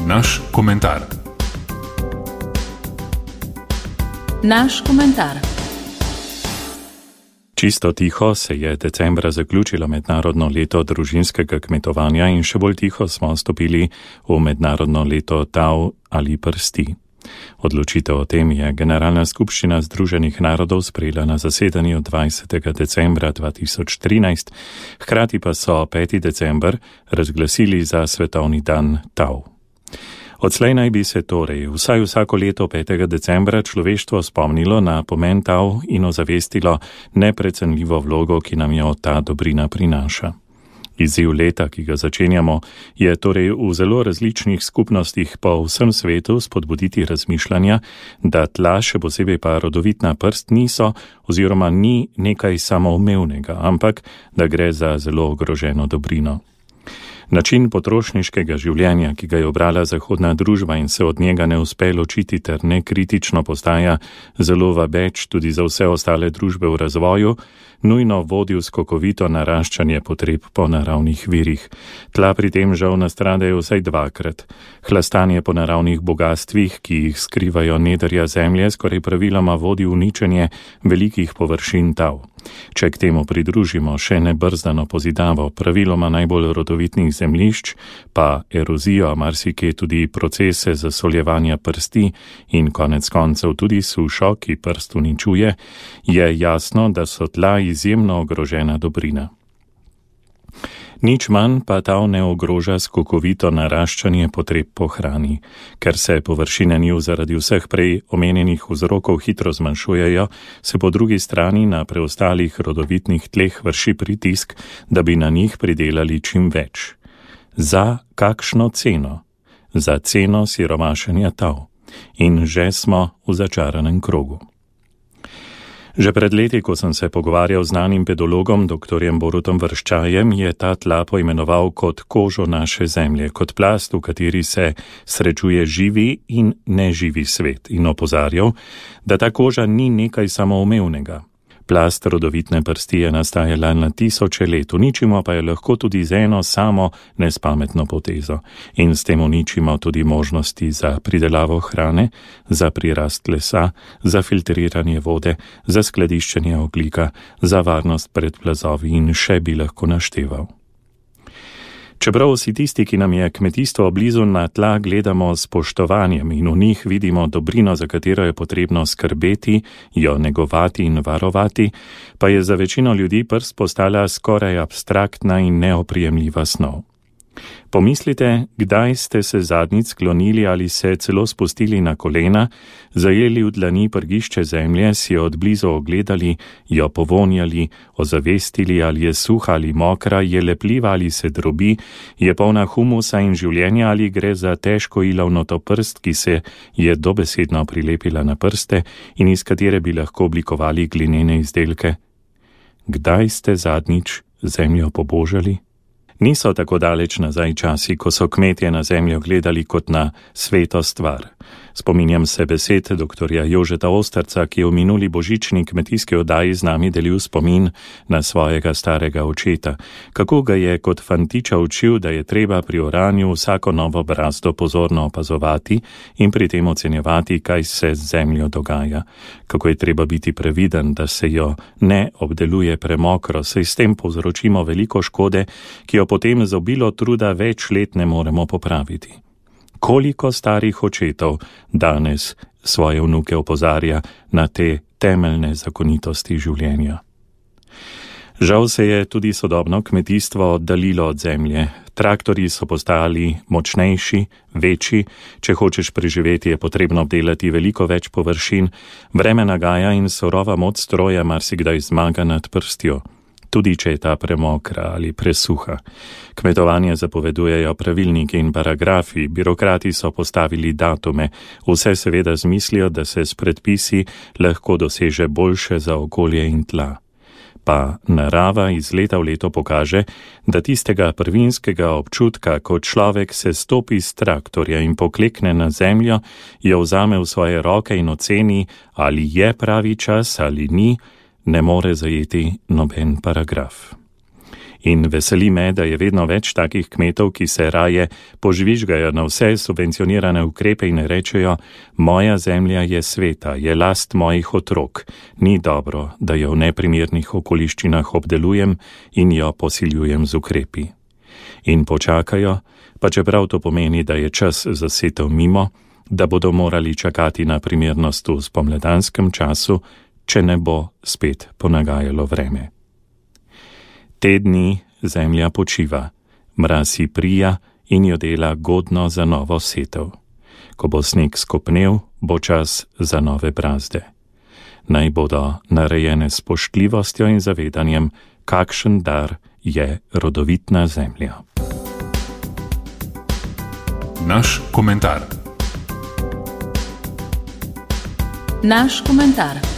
Naš komentar. Naš komentar. Čisto tiho se je decembra zaključilo mednarodno leto družinskega kmetovanja in še bolj tiho smo stopili v mednarodno leto tav ali prsti. Odločitev o tem je Generalna skupščina Združenih narodov sprejela na zasedanju 20. decembra 2013, hkrati pa so 5. december razglasili za svetovni dan tav. Odslej naj bi se torej vsaj vsako leto 5. decembra človeštvo spomnilo na pomen tav in ozavestilo neprecenljivo vlogo, ki nam jo ta dobrina prinaša. Izziv leta, ki ga začenjamo, je torej v zelo različnih skupnostih po vsem svetu spodbuditi razmišljanja, da tla, še posebej pa rodovitna prst, niso oziroma ni nekaj samoumevnega, ampak da gre za zelo ogroženo dobrino. Način potrošniškega življenja, ki ga je obrala zahodna družba in se od njega ne uspe ločiti ter nekritično postaja zelo vabeč tudi za vse ostale družbe v razvoju, nujno vodi v skokovito naraščanje potreb po naravnih virih. Tla pri tem žal nastradajo vsaj dvakrat. Hlastanje po naravnih bogastvih, ki jih skrivajo nedrja zemlje, skoraj praviloma vodi v uničenje velikih površin tav. Če k temu pridružimo še nebrzdano pozidavo praviloma najbolj rodovitnih zemljišč, pa erozijo, marsikje tudi procese zasoljevanja prsti in konec koncev tudi sušo, ki prst uničuje, je jasno, da so tla izjemno ogrožena dobrina. Nič manj pa tav ne ogroža skokovito naraščanje potreb po hrani. Ker se površine njiv zaradi vseh prej omenjenih vzrokov hitro zmanjšujejo, se po drugi strani na preostalih rodovitnih tleh vrši pritisk, da bi na njih pridelali čim več. Za kakšno ceno? Za ceno siromašenja tav. In že smo v začaranem krogu. Že pred leti, ko sem se pogovarjal z znanim pedologom, dr. Borutom Vrščajem, je ta tla poimenoval kot kožo naše zemlje, kot plast, v kateri se srečuje živi in neživi svet, in opozarjal, da ta koža ni nekaj samoumevnega. Plast rodovitne prsti je nastajala na tisoče let, uničimo pa je lahko tudi z eno samo nespametno potezo in s tem uničimo tudi možnosti za pridelavo hrane, za prirast lesa, za filtriranje vode, za skladiščenje ogljika, za varnost pred plazovi in še bi lahko našteval. Čeprav vsi tisti, ki nam je kmetijstvo blizu, na tla gledamo s spoštovanjem in v njih vidimo dobrino, za katero je potrebno skrbeti, jo negovati in varovati, pa je za večino ljudi prst postala skoraj abstraktna in neoprijemljiva snov. Pomislite, kdaj ste se zadnjič sklonili ali se celo spustili na kolena, zajeli v dlani prgišče zemlje, si jo odblizu ogledali, jo povonjali, ozavestili, ali je suha ali mokra, je lepljiva ali se drobi, je polna humusa in življenja ali gre za težko ilovnato prst, ki se je dobesedno prilepila na prste in iz katere bi lahko oblikovali glinene izdelke. Kdaj ste zadnjič zemljo pobožali? Niso tako daleč nazaj časi, ko so kmetje na zemljo gledali kot na sveto stvar. Spominjam se besed dr. Jožeta Osterca, ki je v minuli božični kmetijski oddaji z nami delil spomin na svojega starega očeta. Kako ga je kot fantiča učil, da je treba pri oranju vsako novo brazdo pozorno opazovati in pri tem ocenjevati, kaj se z zemljo dogaja. Kako je treba biti previden, da se jo ne obdeluje premokro, saj s tem povzročimo veliko škode, ki jo potem z obilo truda več let ne moremo popraviti. Koliko starih očetov danes svoje vnuke opozarja na te temeljne zakonitosti življenja? Žal se je tudi sodobno kmetijstvo oddaljilo od zemlje. Traktorji so postali močnejši, večji, če hočeš preživeti, je potrebno obdelati veliko več površin, vreme nagaja in surova moč stroja marsikdaj zmaga nad prstjo. Tudi če je ta premokra ali presuha. Kmetovanje zapovedujejo pravilniki in paragrafi, birokrati so postavili datume, vse seveda z mislijo, da se s predpisi lahko doseže boljše za okolje in tla. Pa narava iz leta v leto pokaže, da tistega prvinskega občutka, ko človek se stopi z traktorja in poklekne na zemljo, jo vzame v svoje roke in oceni, ali je pravi čas ali ni, ne more zajeti noben paragraf. In veseli me, da je vedno več takih kmetov, ki se raje požvižgajo na vse subvencionirane ukrepe in rečejo: moja zemlja je sveta, je last mojih otrok, ni dobro, da jo v neprimernih okoliščinah obdelujem in jo posiljujem z ukrepi. In počakajo, pa čeprav to pomeni, da je čas za setev mimo, da bodo morali čakati na primernost v spomladanskem času, če ne bo spet ponagajalo vreme. Te dni zemlja počiva, mraz ji prija in jo dela godno za novo setev. Ko bo sneg skopnel, bo čas za nove brazde. Naj bodo narejene s spoštljivostjo in zavedanjem, kakšen dar je rodovitna zemlja. Naš komentar. Naš komentar.